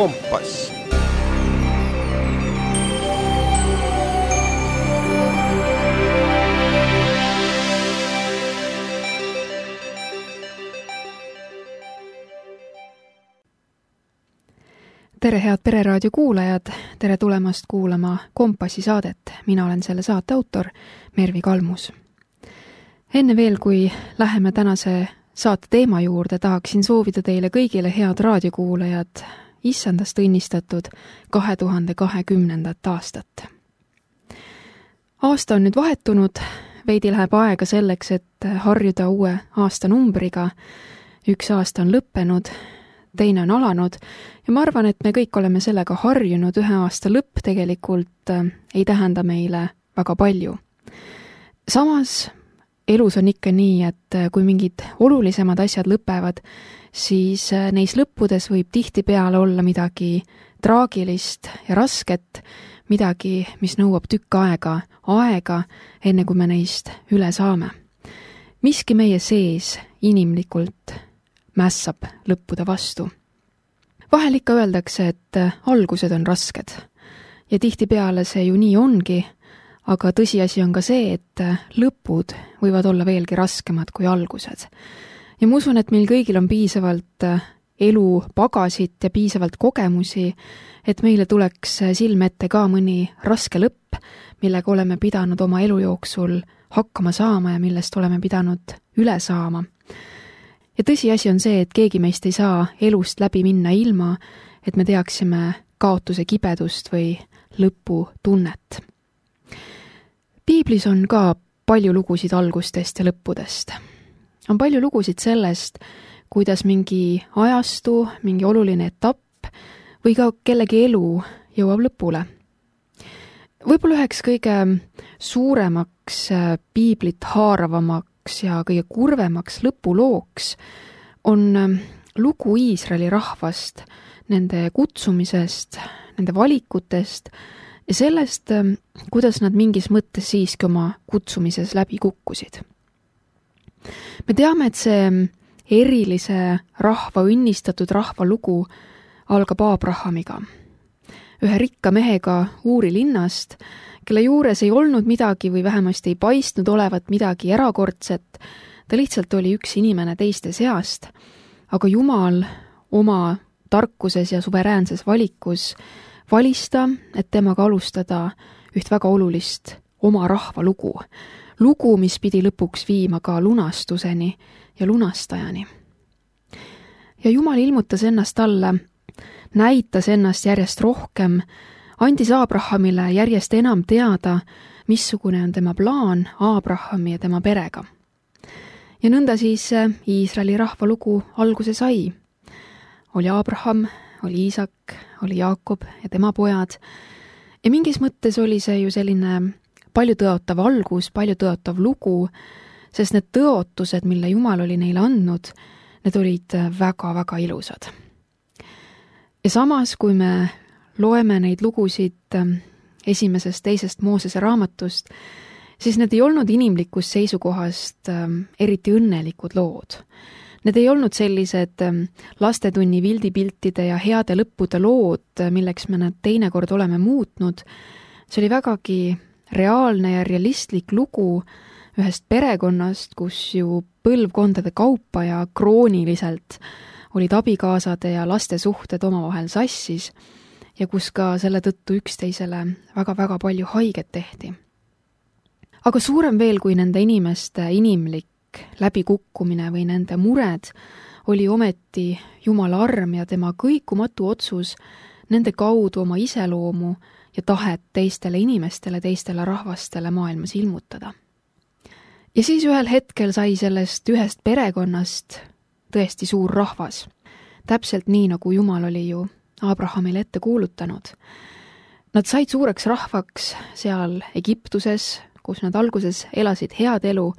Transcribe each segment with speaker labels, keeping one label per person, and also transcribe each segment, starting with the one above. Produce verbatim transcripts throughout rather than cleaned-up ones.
Speaker 1: Kompass.
Speaker 2: Tere head Pereraadio kuulajad, tere tulemast kuulama Kompassi saadet. Mina olen selle saate autor Mervi Kalmus. Enne veel, kui läheme tänase saate teema juurde, tahaksin soovida teile kõigile head raadiokuulajad issandast õnnistatud kahe tuhande kahekümnendat aastat. Aasta on nüüd vahetunud, veidi läheb aega selleks, et harjuda uue aastanumbriga. Üks aasta on lõppenud, teine on alanud ja ma arvan, et me kõik oleme sellega harjunud. Ühe aasta lõpp tegelikult ei tähenda meile väga palju. Samas elus on ikka nii, et kui mingid olulisemad asjad lõpevad, siis neis lõppudes võib tihtipeale olla midagi traagilist ja rasket, midagi, mis nõuab tükk aega, aega, enne kui me neist üle saame. Miski meie sees inimlikult mässab lõppude vastu. Vahel ikka öeldakse, et algused on rasked ja tihtipeale see ju nii ongi, aga tõsiasi on ka see, et lõpud võivad olla veelgi raskemad kui algused. Ja ma usun, et meil kõigil on piisavalt elu pagasit ja piisavalt kogemusi, et meile tuleks silme ette ka mõni raske lõpp, millega oleme pidanud oma elu jooksul hakkama saama ja millest oleme pidanud üle saama. Ja tõsiasi on see, et keegi meist ei saa elust läbi minna ilma, et me teaksime kaotuse kibedust või lõpu tunnet. Piiblis on ka palju lugusid algustest ja lõppudest. On palju lugusid sellest, kuidas mingi ajastu, mingi oluline etapp või ka kellegi elu jõuab lõpule. Võib-olla üheks kõige suuremaks piiblit haaravamaks ja kõige kurvemaks lõpulooks on lugu Iisraeli rahvast, nende kutsumisest, nende valikutest ja sellest, kuidas nad mingis mõttes siiski oma kutsumises läbi kukkusid. Me teame, et see erilise rahva õnnistatud rahva lugu algab Aabrahamiga, ühe rikka mehega Uuri linnast, kelle juures ei olnud midagi või vähemasti ei paistnud olevat midagi erakordset. Ta lihtsalt oli üks inimene teiste seast, aga Jumal oma tarkuses ja suveräänses valikus valis ta, et temaga alustada üht väga olulist oma rahva lugu. Lugu, mis pidi lõpuks viima ka lunastuseni ja lunastajani. Ja Jumal ilmutas ennast talle, näitas ennast järjest rohkem, andis Aabrahamile järjest enam teada, missugune on tema plaan Aabrahami ja tema perega. Ja nõnda siis Iisraeli rahva lugu alguse sai. Oli Aabraham, oli Iisak, oli Jaakob ja tema pojad. Ja mingis mõttes oli see ju selline palju tõotav algus, palju tõotav lugu, sest need tõotused, mille Jumal oli neile andnud, need olid väga-väga ilusad. Ja samas, kui me loeme neid lugusid esimesest, teisest Moosese raamatust, siis need ei olnud inimlikust seisukohast eriti õnnelikud lood. Need ei olnud sellised lastetunni vildipiltide ja heade lõppude lood, milleks me nad teinekord oleme muutnud. See oli vägagi reaalne ja realistlik lugu ühest perekonnast, kus ju põlvkondade kaupa ja krooniliselt olid abikaasade ja laste suhted omavahel sassis ja kus ka selle tõttu üksteisele väga-väga palju haiget tehti. Aga suurem veel kui nende inimeste inimlik läbikukkumine või nende mured oli ometi Jumala arm ja tema kõikumatu otsus nende kaudu oma iseloomu ja tahet teistele inimestele, teistele rahvastele maailmas ilmutada. Ja siis ühel hetkel sai sellest ühest perekonnast tõesti suur rahvas, täpselt nii, nagu Jumal oli ju Abrahamile ette kuulutanud. Nad said suureks rahvaks seal Egiptuses, kus nad alguses elasid head elu,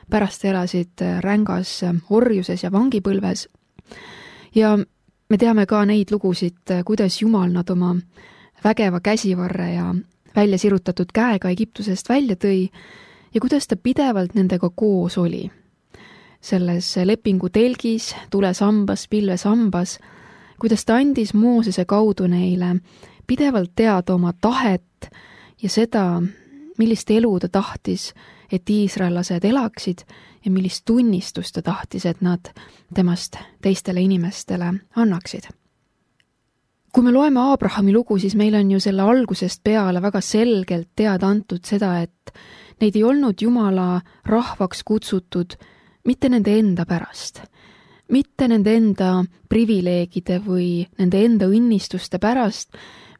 Speaker 2: pärast elasid rängas orjuses ja vangipõlves. Ja me teame ka neid lugusid, kuidas Jumal nad oma vägeva käsivarre ja välja sirutatud käega Egiptusest välja tõi ja kuidas ta pidevalt nendega koos oli. Selles lepingu telgis, tulesambas, pilvesambas, kuidas ta andis Moosese kaudu neile pidevalt teada oma tahet ja seda, millist elu ta tahtis, et iisraellased elaksid ja millist tunnistust ta tahtis, et nad temast teistele inimestele annaksid. Kui me loeme Aabrahami lugu, siis meil on ju selle algusest peale väga selgelt teada antud seda, et neid ei olnud Jumala rahvaks kutsutud mitte nende enda pärast, mitte nende enda privileegide või nende enda õnnistuste pärast,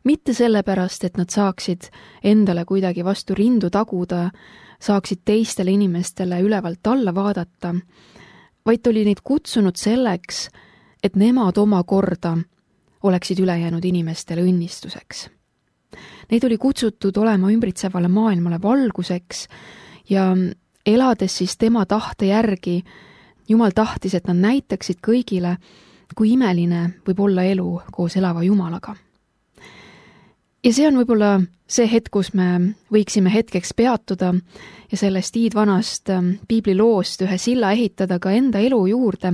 Speaker 2: mitte selle pärast, et nad saaksid endale kuidagi vastu rindu taguda, saaksid teistele inimestele ülevalt alla vaadata, vaid oli neid kutsunud selleks, et nemad oma korda oleksid ülejäänud inimestele õnnistuseks. Neid oli kutsutud olema ümbritsevale maailmale valguseks ja elades siis tema tahte järgi, Jumal tahtis, et nad näitaksid kõigile, kui imeline võib olla elu koos elava Jumalaga. Ja see on võib-olla see hetk, kus me võiksime hetkeks peatuda ja sellest iidvanast piibliloost ühe silla ehitada ka enda elu juurde,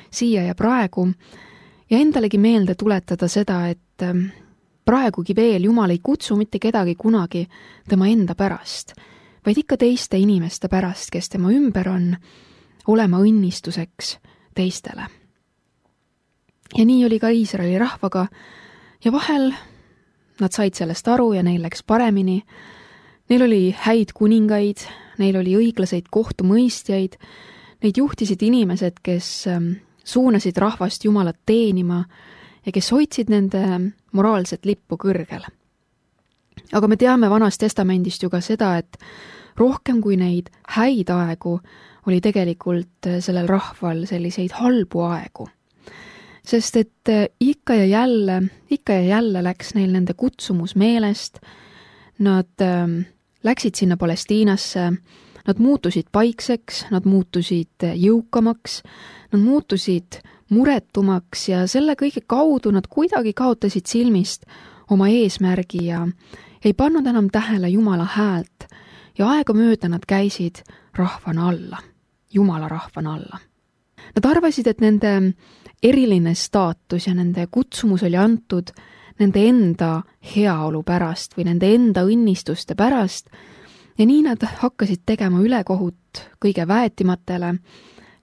Speaker 2: siia ja praegu, ja endalegi meelde tuletada seda, et praegugi veel Jumal ei kutsu mitte kedagi kunagi tema enda pärast, vaid ikka teiste inimeste pärast, kes tema ümber on, olema õnnistuseks teistele. Ja nii oli ka Iisraeli rahvaga ja vahel nad said sellest aru ja neil läks paremini. Neil oli häid kuningaid, neil oli õiglaseid kohtumõistjaid, neid juhtisid inimesed, kes suunasid rahvast Jumalat teenima ja kes hoidsid nende moraalset lippu kõrgel. Aga me teame Vanast Testamendist ju ka seda, et rohkem kui neid häid aegu oli tegelikult sellel rahval selliseid halbu aegu. Sest et ikka ja jälle, ikka ja jälle läks neil nende kutsumus meelest, nad läksid sinna Palestiinasse, nad muutusid paikseks, nad muutusid jõukamaks, nad muutusid muretumaks ja selle kõige kaudu nad kuidagi kaotasid silmist oma eesmärgi ja ei pannud enam tähele Jumala häält ja aega mööda nad käisid rahvana alla, Jumala rahvana alla. Nad arvasid, et nende eriline staatus ja nende kutsumus oli antud nende enda heaolu pärast või nende enda õnnistuste pärast ja nii nad hakkasid tegema ülekohut kõige väetimatele,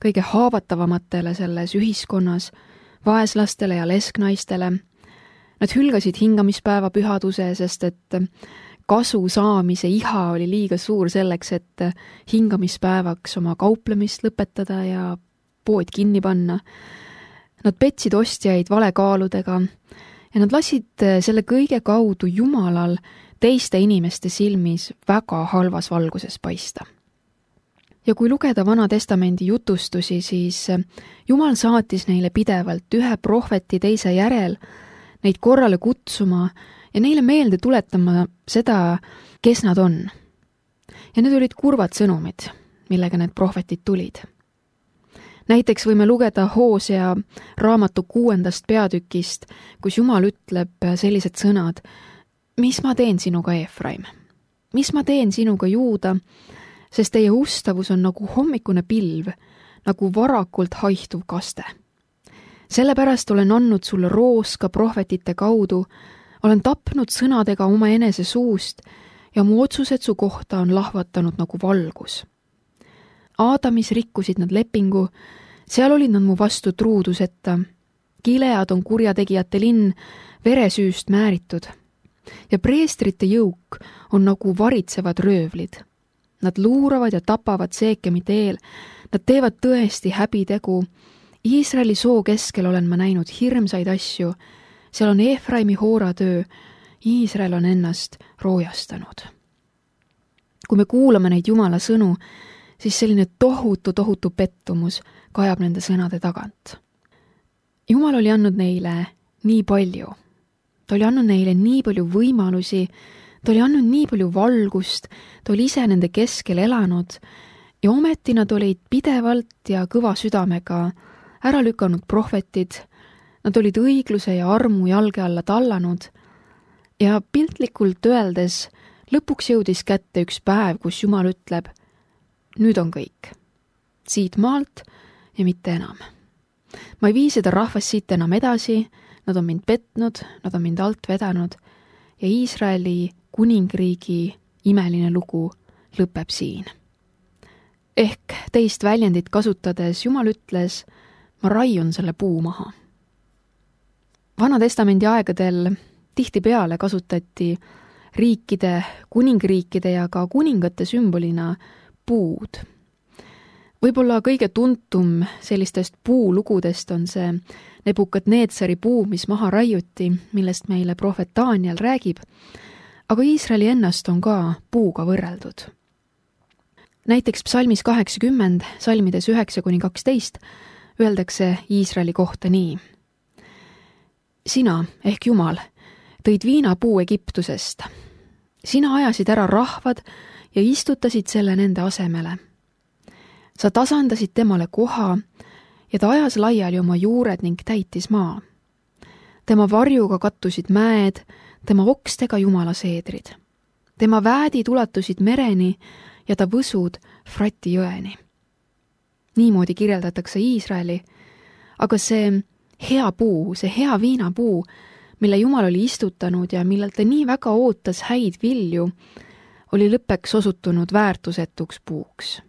Speaker 2: kõige haavatavamatele selles ühiskonnas, vaeslastele ja lesknaistele. Nad hülgasid hingamispäeva pühaduse, sest et kasu saamise iha oli liiga suur selleks, et hingamispäevaks oma kauplemist lõpetada ja pood kinni panna. Nad petsid ostjaid valekaaludega ja nad lasid selle kõige kaudu Jumalal teiste inimeste silmis väga halvas valguses paista. Ja kui lugeda Vana Testamendi jutustusi, siis Jumal saatis neile pidevalt ühe prohveti teise järel neid korrale kutsuma ja neile meelde tuletama seda, kes nad on. Ja need olid kurvad sõnumid, millega need prohvetid tulid. Näiteks võime lugeda Hoosea raamatu kuuendast peatükist, kus Jumal ütleb sellised sõnad: mis ma teen sinuga, Efraim? Mis ma teen sinuga, Juuda? Sest teie ustavus on nagu hommikune pilv, nagu varakult haihtuv kaste. Sellepärast olen andnud sulle rooska prohvetite kaudu, olen tapnud sõnadega oma enese suust ja mu otsused su kohta on lahvatanud nagu valgus. Aadamis rikkusid nad lepingu, seal olid nad mu vastu truuduseta. Gilead on kurjategijate linn, veresüüst määritud. Ja preestrite jõuk on nagu varitsevad röövlid. Nad luuravad ja tapavad Seekemite eel, nad teevad tõesti häbitegu. Iisraeli soo keskel olen ma näinud hirmsaid asju, seal on Efraimi hooratöö, Iisrael on ennast roojastanud. Kui me kuulame neid Jumala sõnu, siis selline tohutu, tohutu pettumus kajab nende sõnade tagant. Jumal oli andnud neile nii palju. Ta oli andnud neile nii palju võimalusi, ta oli andnud nii palju valgust, ta oli ise nende keskel elanud ja ometi nad olid pidevalt ja kõva südamega ära lükanud prohvetid, nad olid õigluse ja armu jalge alla tallanud ja piltlikult öeldes lõpuks jõudis kätte üks päev, kus Jumal ütleb: nüüd on kõik, siit maalt ja mitte enam. Ma ei vii seda rahvast siit enam edasi, nad on mind petnud, nad on mind alt vedanud ja Iisraeli kuningriigi imeline lugu lõpeb siin. Ehk teist väljendit kasutades Jumal ütles, ma raiun selle puu maha. Vana-testamendi aegadel tihtipeale kasutati riikide, kuningriikide ja ka kuningate sümbolina puud. Võib-olla kõige tuntum sellistest puulugudest on see Nebukadnetsari puu, mis maha raiuti, millest meile prohvet Daniel räägib, aga Iisraeli ennast on ka puuga võrreldud. Näiteks psalmis kaheksakümmend, salmides üheksa kuni kaksteist, öeldakse Iisraeli kohta nii. Sina, ehk Jumal, tõid viinapuu Egiptusest. Sina ajasid ära rahvad ja istutasid selle nende asemele. Sa tasandasid temale koha ja ta ajas laiali oma juured ning täitis maa. Tema varjuga kattusid mäed, tema okstega Jumala seedrid. Tema väädid ulatusid mereni ja ta võsud Frati jõeni. Niimoodi kirjeldatakse Iisraeli, aga see hea puu, see hea viinapuu, mille Jumal oli istutanud ja millelt ta nii väga ootas häid vilju, oli lõppeks osutunud väärtusetuks puuks.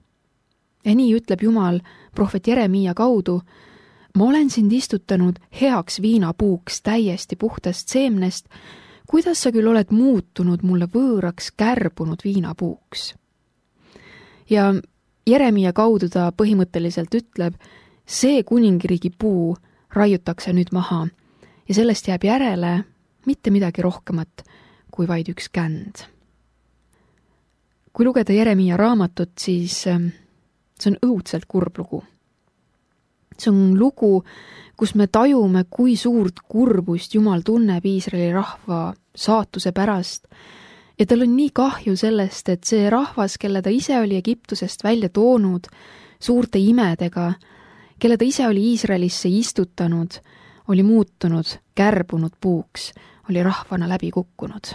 Speaker 2: Ja nii ütleb Jumal prohvet Jeremiia kaudu, ma olen sind istutanud heaks viinapuuks täiesti puhtast seemnest, kuidas sa küll oled muutunud mulle võõraks kärbunud viinapuuks. Ja Jeremiia kaudu ta põhimõtteliselt ütleb, see kuningriigi puu raiutakse nüüd maha ja sellest jääb järele mitte midagi rohkemat kui vaid üks känd. Kui lugeda Jeremiia raamatut, siis see on õudselt kurb lugu. See on lugu, kus me tajume, kui suurt kurbust Jumal tunneb Iisraeli rahva saatuse pärast ja tal on nii kahju sellest, et see rahvas, kelle ta ise oli Egiptusest välja toonud suurte imedega, kelle ta ise oli Iisraelisse istutanud, oli muutunud kärbunud puuks, oli rahvana läbi kukkunud.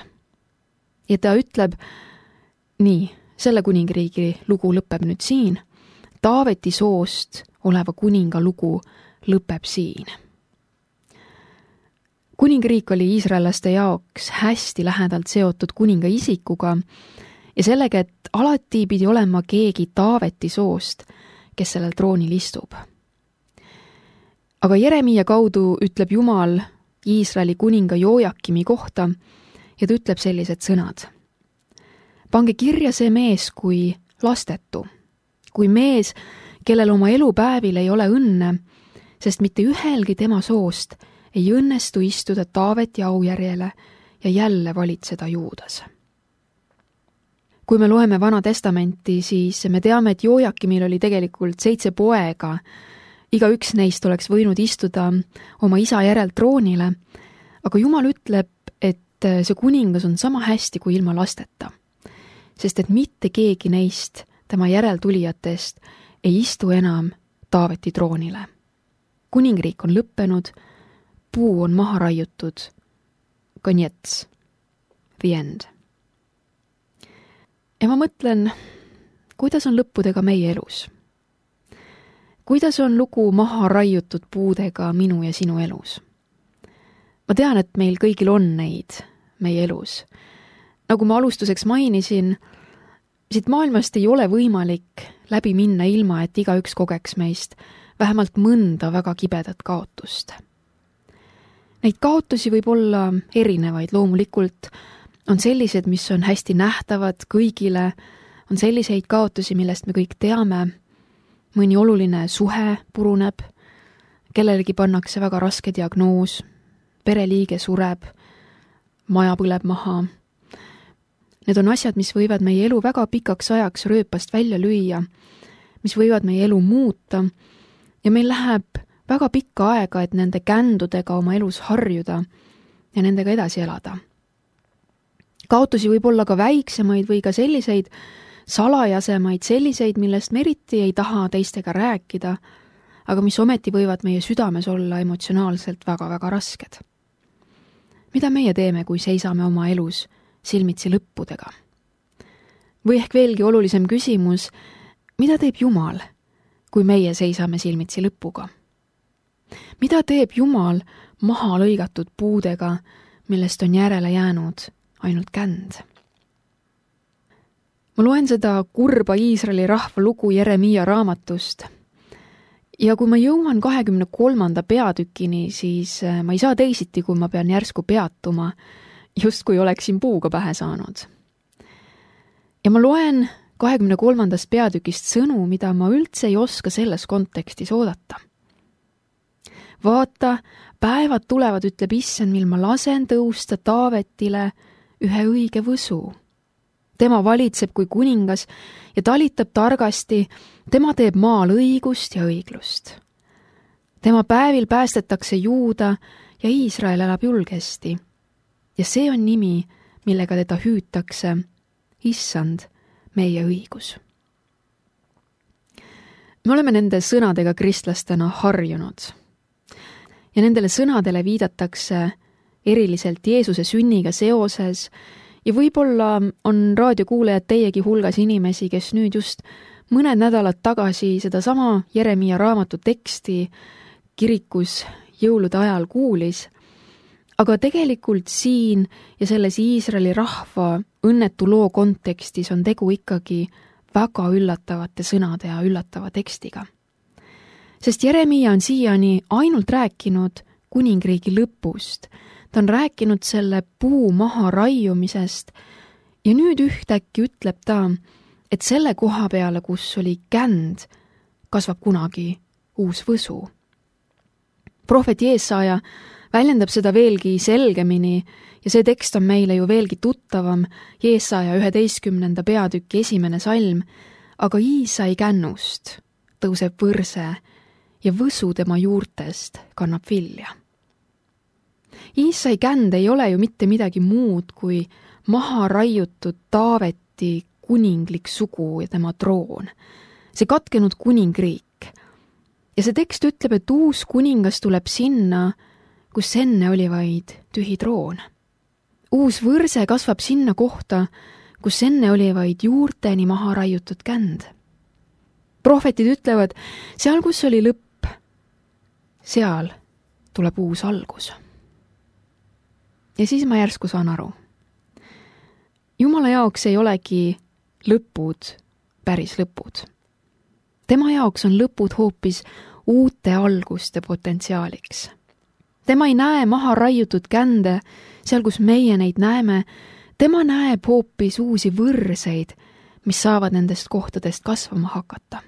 Speaker 2: Ja ta ütleb, nii, selle kuningriigi lugu lõpeb nüüd siin, Taaveti soost oleva kuninga lugu lõpeb siin. Kuningriik oli iisraellaste jaoks hästi lähedalt seotud kuninga isikuga ja sellega, et alati pidi olema keegi Taaveti soost, kes sellel troonil istub. Aga Jeremiia kaudu ütleb Jumal Iisraeli kuninga Joojakimi kohta ja ta ütleb sellised sõnad. Pange kirja see mees kui lastetu, kui mees, kellel oma elupäevil ei ole õnne, sest mitte ühelgi tema soost ei õnnestu istuda Taaveti aujärjele ja jälle valitseda Juudas. Kui me loeme Vana Testamenti, siis me teame, et Joojakimil oli tegelikult seitse poega. Iga üks neist oleks võinud istuda oma isa järel troonile, aga Jumal ütleb, et see kuningas on sama hästi kui ilma lasteta, sest et mitte keegi neist tema järeltulijatest ei istu enam Taaveti troonile. Kuningriik on lõppenud, puu on maha raiutud, konjets, the end. Ja ma mõtlen, kuidas on lõppudega meie elus? Kuidas on lugu maha raiutud puudega minu ja sinu elus? Ma tean, et meil kõigil on neid meie elus. Nagu ma alustuseks mainisin, siit maailmast ei ole võimalik läbi minna ilma, et igaüks kogeks meist vähemalt mõnda väga kibedat kaotust. Neid kaotusi võib olla erinevaid, loomulikult on sellised, mis on hästi nähtavad kõigile, on selliseid kaotusi, millest me kõik teame, mõni oluline suhe puruneb, kellelegi pannakse väga raske diagnoos, pereliige sureb, maja põleb maha. Need on asjad, mis võivad meie elu väga pikaks ajaks rööpast välja lüüa, mis võivad meie elu muuta ja meil läheb väga pikka aega, et nende kändudega oma elus harjuda ja nendega edasi elada. Kaotusi võib olla ka väiksemaid või ka selliseid salajasemaid, selliseid, millest me eriti ei taha teistega rääkida, aga mis ometi võivad meie südames olla emotsionaalselt väga-väga rasked. Mida meie teeme, kui seisame oma elus silmitsi lõppudega? Või ehk veelgi olulisem küsimus, mida teeb Jumal, kui meie seisame silmitsi lõpuga? mida teeb Jumal maha lõigatud puudega, millest on järele jäänud ainult känd? Ma loen seda kurba Iisraeli rahva lugu Jeremiia raamatust ja kui ma jõuan kahekümne kolmanda peatükini, siis ma ei saa teisiti, kui ma pean järsku peatuma, justkui oleksin puuga pähe saanud. Ja ma loen kahekümne kolmandast peatükist sõnu, mida ma üldse ei oska selles kontekstis oodata. Vaata, päevad tulevad, ütleb Issand, mil ma lasen tõusta Taavetile ühe õige võsu. Tema valitseb kui kuningas ja talitab targasti, tema teeb maal õigust ja õiglust. Tema päevil päästetakse Juuda ja Iisrael elab julgesti. Ja see on nimi, millega teda hüütakse, Issand, meie õigus. Me oleme nende sõnadega kristlastena harjunud. Ja nendele sõnadele viidatakse eriliselt Jeesuse sünniga seoses ja võib-olla on raadiokuulajad teiegi hulgas inimesi, kes nüüd just mõned nädalad tagasi seda sama Jeremiia raamatu teksti kirikus jõulude ajal kuulis, aga tegelikult siin ja selles Iisraeli rahva õnnetu loo kontekstis on tegu ikkagi väga üllatavate sõnade ja üllatava tekstiga. Sest Jeremiia on siiani ainult rääkinud kuningriigi lõpust. Ta on rääkinud selle puu maha raiumisest ja nüüd ühtäkki ütleb ta, et selle koha peale, kus oli känd, kasvab kunagi uus võsu. Prohvet Jeesaja väljendab seda veelgi selgemini ja see tekst on meile ju veelgi tuttavam, Jeesaja üheteistkümnenda peatüki esimene salm, aga Iisai kännust tõuseb võrse ja võsu tema juurtest kannab vilja. Iisai känd ei ole ju mitte midagi muud kui maha raiutud Taaveti kuninglik sugu ja tema troon. See katkenud kuningriik. Ja see tekst ütleb, et uus kuningas tuleb sinna, kus enne oli vaid tühi troon. Uus võrse kasvab sinna kohta, kus enne oli vaid juurteni maha raiutud känd. Prohvetid ütlevad, seal kus oli lõpp, seal tuleb uus algus. Ja siis ma järsku saan aru. Jumala jaoks ei olegi lõpud päris lõpud. Tema jaoks on lõpud hoopis uute alguste potentsiaaliks. Tema ei näe maha raiutud kände, seal kus meie neid näeme, tema näeb hoopis uusi võrseid, mis saavad nendest kohtadest kasvama hakata.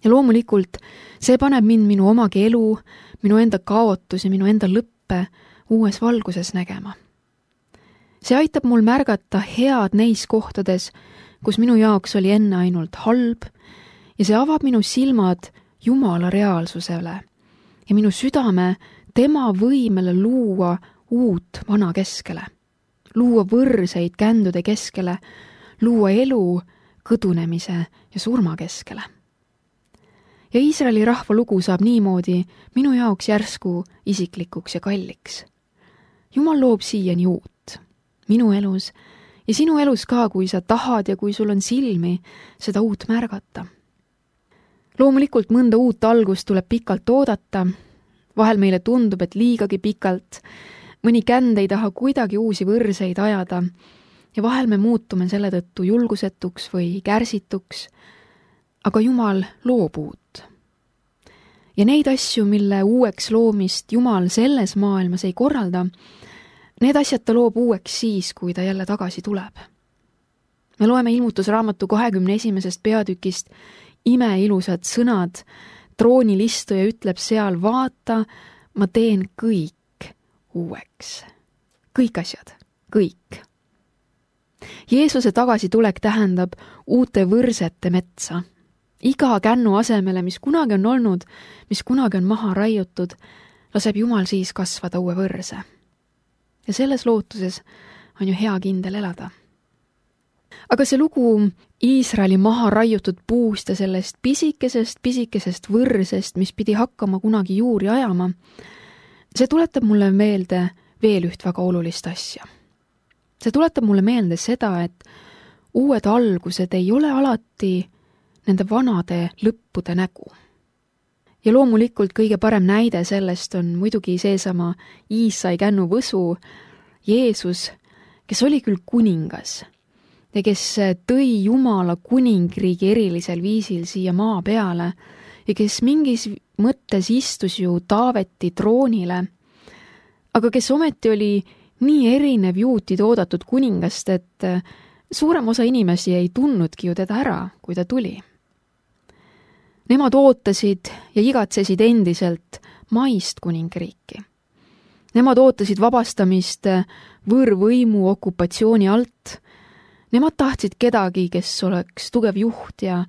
Speaker 2: Ja loomulikult see paneb mind minu omagi elu, minu enda kaotus ja minu enda lõppe uues valguses nägema. See aitab mul märgata head neis kohtades, kus minu jaoks oli enne ainult halb ja see avab minu silmad Jumala reaalsusele ja minu südame tema võimele luua uut vana keskele, luua võrseid kändude keskele, luua elu kõdunemise ja surma keskele. Ja Iisraeli rahva lugu saab niimoodi minu jaoks järsku isiklikuks ja kalliks. Jumal loob siiani uut, minu elus ja sinu elus ka, kui sa tahad ja kui sul on silmi seda uut märgata. Loomulikult mõnda uut algust tuleb pikalt oodata, vahel meile tundub, et liigagi pikalt, mõni känd ei taha kuidagi uusi võrseid ajada ja vahel me muutume selle tõttu julgusetuks või kärsituks, aga Jumal loob uut. Ja neid asju, mille uueks loomist Jumal selles maailmas ei korralda, need asjad ta loob uueks siis, kui ta jälle tagasi tuleb. Me loeme ilmutusraamatu kahekümne esimesest peatükist imeilusad sõnad, troonilistuja ütleb seal, vaata, ma teen kõik uueks. Kõik asjad, kõik. Jeesuse tagasitulek tähendab uute võrsete metsa. Iga kännu asemele, mis kunagi on olnud, mis kunagi on maha raiutud, laseb Jumal siis kasvada uue võrse. Ja selles lootuses on ju hea kindel elada. Aga see lugu Iisraeli maha raiutud puust ja sellest pisikesest, pisikesest võrsest, mis pidi hakkama kunagi juuri ajama, see tuletab mulle meelde veel üht väga olulist asja. See tuletab mulle meelde seda, et uued algused ei ole alati nende vanade lõppude nägu. Ja loomulikult kõige parem näide sellest on muidugi seesama Iisai kännu võsu, Jeesus, kes oli küll kuningas ja kes tõi Jumala kuningriigi erilisel viisil siia maa peale ja kes mingis mõttes istus ju Taaveti troonile, aga kes ometi oli nii erinev juutide oodatud kuningast, et suurem osa inimesi ei tundnudki ju teda ära, kui ta tuli. Nemad ootasid ja igatsesid endiselt maist kuningriiki. Nemad ootasid vabastamist võõrvõimu okupatsiooni alt. Nemad tahtsid kedagi, kes oleks tugev juht ja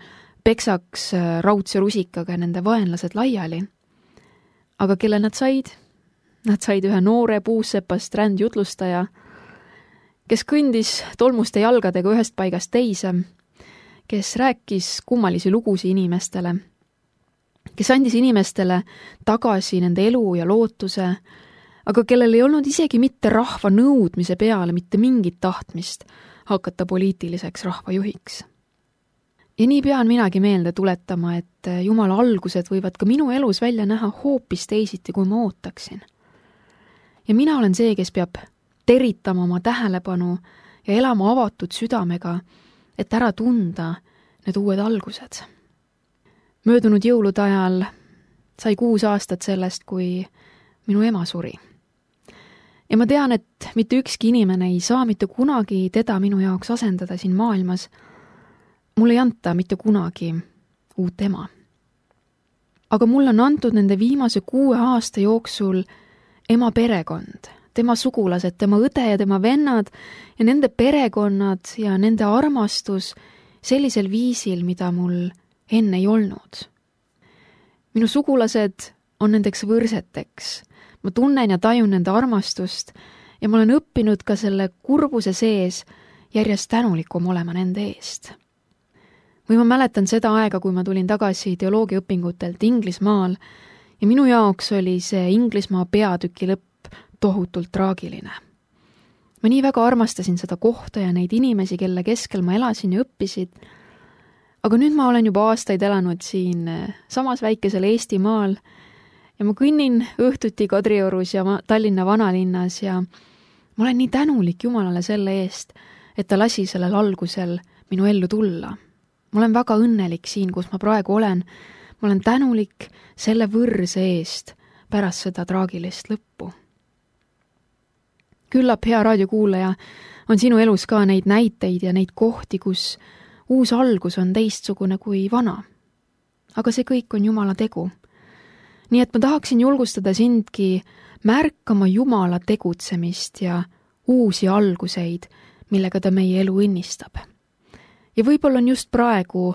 Speaker 2: peksaks raudse rusikaga nende vaenlased laiali. Aga kelle nad said? Nad said ühe noore puussepast rändjutlustaja, kes kõndis tolmuste jalgadega ühest paigast teise, kes rääkis kummalisi lugusi inimestele, kes andis inimestele tagasi nende elu ja lootuse, aga kellel ei olnud isegi mitte rahva nõudmise peale mitte mingit tahtmist hakata poliitiliseks rahvajuhiks. Ja nii pean minagi meelde tuletama, et Jumala algused võivad ka minu elus välja näha hoopis teisiti, kui ma ootaksin. Ja mina olen see, kes peab teritama oma tähelepanu ja elama avatud südamega, et ära tunda need uued algused. Möödunud jõulude ajal sai kuus aastat sellest, kui minu ema suri. Ja ma tean, et mitte ükski inimene ei saa mitte kunagi teda minu jaoks asendada siin maailmas. Mul ei anta mitte kunagi uut ema. Aga mul on antud nende viimase kuue aasta jooksul ema perekond, tema sugulased, tema õde ja tema vennad ja nende perekonnad ja nende armastus sellisel viisil, mida mul enne ei olnud. Minu sugulased on nendeks võrseteks. Ma tunnen ja tajun nende armastust ja ma olen õppinud ka selle kurbuse sees järjest tänulikum olema nende eest. Või ma mäletan seda aega, kui ma tulin tagasi teoloogiaõpingutelt Inglismaal ja minu jaoks oli see Inglismaa peatüki lõpp tohutult traagiline. Ma nii väga armastasin seda kohta ja neid inimesi, kelle keskel ma elasin ja õppisid, aga nüüd ma olen juba aastaid elanud siin samas väikesel Eestimaal ja ma kõnnin õhtuti Kadriorus ja Tallinna vanalinnas ja ma olen nii tänulik Jumalale selle eest, et ta lasi sellel algusel minu ellu tulla. Ma olen väga õnnelik siin, kus ma praegu olen. Ma olen tänulik selle võrse eest pärast seda traagilist lõppu. Küllap, hea raadiokuulaja, on sinu elus ka neid näiteid ja neid kohti, kus uus algus on teistsugune kui vana. Aga see kõik on Jumala tegu. Nii et ma tahaksin julgustada sindki märkama Jumala tegutsemist ja uusi alguseid, millega ta meie elu õnnistab. Ja võib-olla on just praegu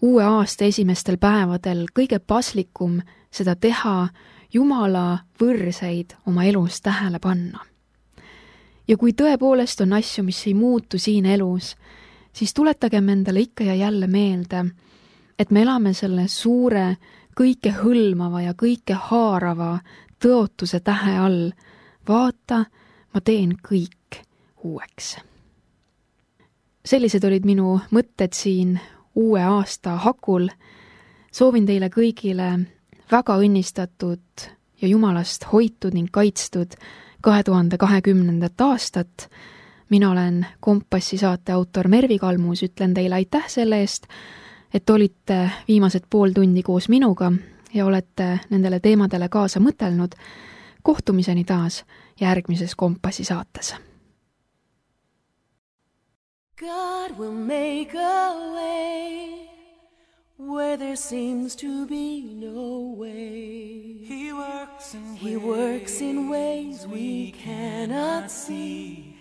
Speaker 2: uue aasta esimestel päevadel kõige paslikum seda teha, Jumala võrseid oma elus tähele panna. Ja kui tõepoolest on asju, mis ei muutu siin elus, siis tuletagem endale ikka ja jälle meelde, et me elame selle suure, kõike hõlmava ja kõike haarava tõotuse tähe all. Vaata, ma teen kõik uueks. Sellised olid minu mõtted siin uue aasta hakul. Soovin teile kõigile väga õnnistatud ja Jumalast hoitud ning kaitstud kahe tuhande kahekümnendat aastat. Mina olen Kompassi saate autor Mervi Kalmus, ütlen teile aitäh selle eest, et olite viimased pool tundi koos minuga ja olete nendele teemadele kaasa mõtelnud. Kohtumiseni taas järgmises Kompassi saates.
Speaker 1: God will make a way where there seems to be no way.
Speaker 3: He works in
Speaker 1: He
Speaker 3: ways,
Speaker 1: works in ways we cannot see.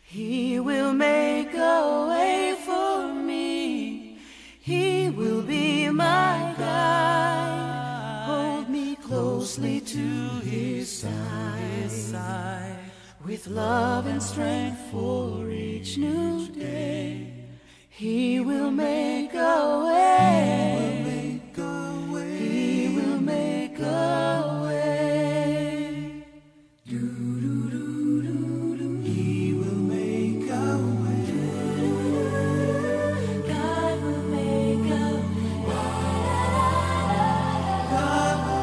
Speaker 1: He will make a way for me. He will be my guide. Hold me closely to His side,
Speaker 3: side.
Speaker 1: With love and strength for each new day. He will make a way.
Speaker 3: He will make a way.
Speaker 1: He will make a way.
Speaker 3: Do, do, do, do, do. He will make a way.
Speaker 1: God will make a way.
Speaker 3: God will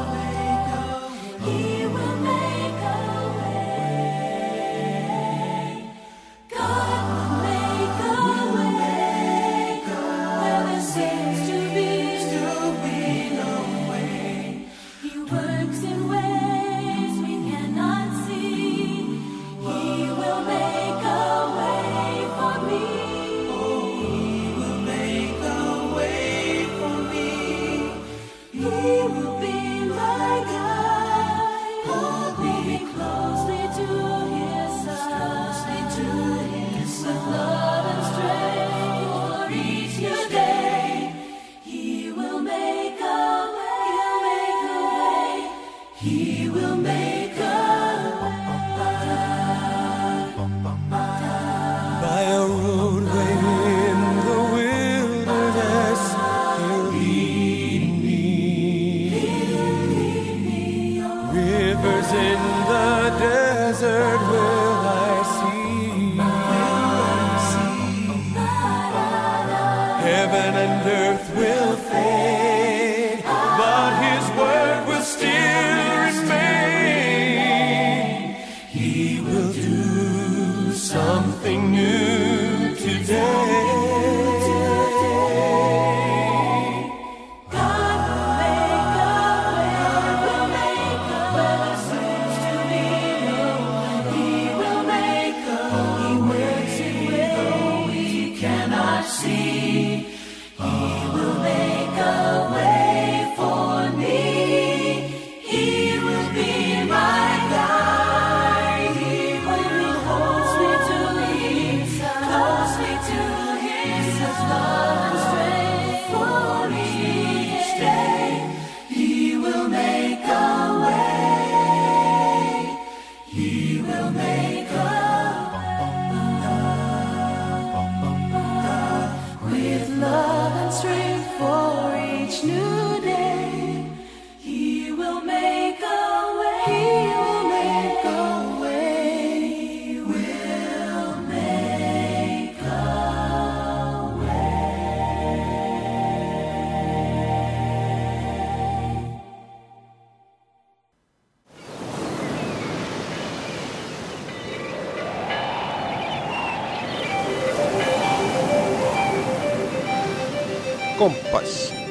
Speaker 3: Heaven and earth will fade, but his word will still remain. He will do something new today.
Speaker 4: Kompass.